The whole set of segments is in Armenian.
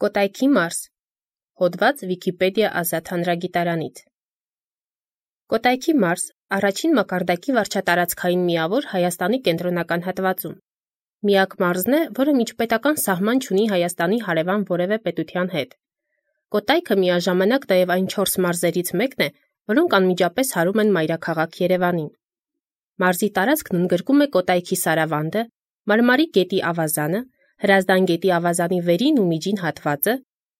Կոտայքի մարզ։ Հոդված Վիկիպեդիա ազատ հանրագիտարանից։ Կոտայքի մարզ առաջին մակարդակի վարչատարածքային միավոր Հայաստանի կենտրոնական հատվածում։ Միակ մարզն է, որը միջպետական սահման չունի Հայաստանի հարևան որևէ պետության հետ։ Կոտայքը միաժամանակ նաև այն 4 մարզերից մեկն է, որոնք անմիջապես հարում են մայրաքաղաք Երևանին։ Մարզի տարածքն ընդգրկում է Կոտայքի Սարավանդը, Մարմարի գետի ավազանը, Հրազդան գետի ավազանի վերին ու միջին հատվածը,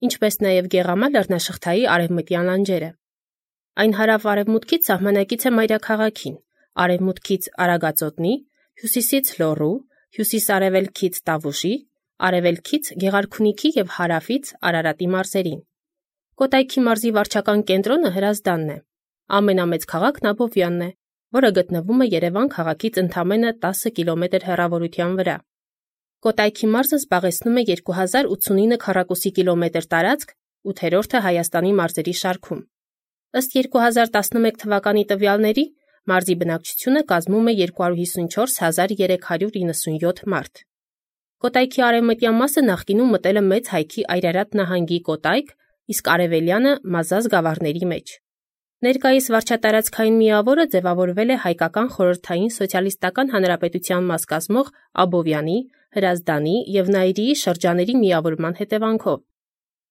ինչպես նաև Գեղամա լեռնաշղթայի արևմտյան լանջերը։ Այն հարավ-արևմուտքից սահմանակից է մայրաքաղաքին, արևմուտքից Արագածոտնի, հյուսիսից Լոռու, հյուսիս-արևելքից Տավուշի, արևելքից Գեղարքունիքի և հարավից Արարատի մարզերին։ Կոտայքի մարզի վարչական կենտրոնը Հրազդանն է։ Ամենամեծ քաղաքն Աբովյանն է, որը գտնվում է Երևան քաղաքից ընդամենը 10 կիլոմետր հեռավորության վրա։ Կոտայքի մարզը զբաղեցնում է 2089 քառակուսի կիլոմետր տարածք, 8-րդը Հայաստանի մարզերի շարքում։ Ըստ 2011 թվականի տվյալների, մարզի բնակչությունը կազմում է 254,397 մարդ։ Կոտայքի արևմտյան մասը նախկինում մտել է Մեծ Հայքի Այրարատ նահանգի Կոտայք, իսկ արևելյանը Մազազք գավառների մեջ։ Ներկայիս վարչատարածքային միավորը ձևավորվել է Հայկական Խորհրդային Սոցիալիստական Հանրապետության մաս կազմող Աբովյանի, Հրազդանի և Նայիրիի շրջանների միավորման հետևանքով։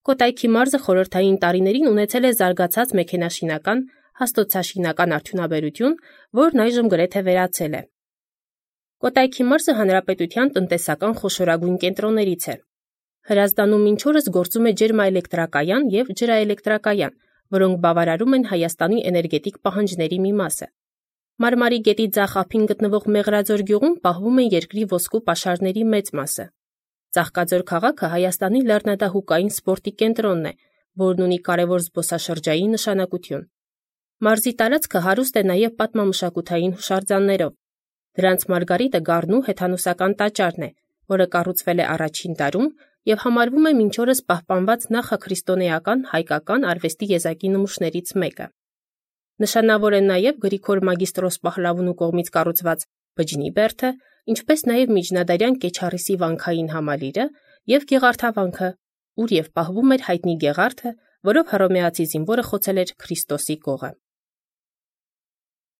Կոտայքի մարզը խորհրդային տարիներին ունեցել է զարգացած մեքենաշինական, հաստոցաշինական արդյունաբերություն, որն այժմ գրեթե վերացել է։ Կոտայքի մարզը հանրապետության տնտեսական խոշորագույն կենտրոններից է։ Հրազդանում մինչ օրս գործում է ջերմաէլեկտրակայան և ջրաէլեկտրակայան, որոնք բավարարում են Հայաստանի էներգետիկ պահանջների մի մասը։ Մարմարի գետի ձախ ափին գտնվող Մեղրաձոր գյուղում պահվում են երկրի ոսկու պաշարների մեծ մասը։ Ծաղկաձոր քաղաքը Հայաստանի լեռնադահուկային սպորտի կենտրոնն է, որն ունի կարևոր զբոսաշրջային նշանակություն։ Մարզի տարածքը հարուստ է նաև պատմամշակութային հուշարձաններով։ Դրանց մարգարիտը գառնու հեթանոսական տաճարն է, որը կառուցվել է առաջին դարում և համարվում է մինչ օրս պահպանված նախաքրիստոնեական հայկական արվեստի եզակի նմուշներից մեկը։ Նշանավոր են նաև Գրիգոր Մագիստրոս Պահլավունու կողմից կառուցված բջջի բերդը, ինչպես նաև միջնադարյան Կեչառիսի վանքային համալիրը և Գեղարդավանքը, ուր և պահվում էր հայտնի Գեղարդը, որով հռոմեացի զինվորը խոցել էր Քրիստոսի կողը։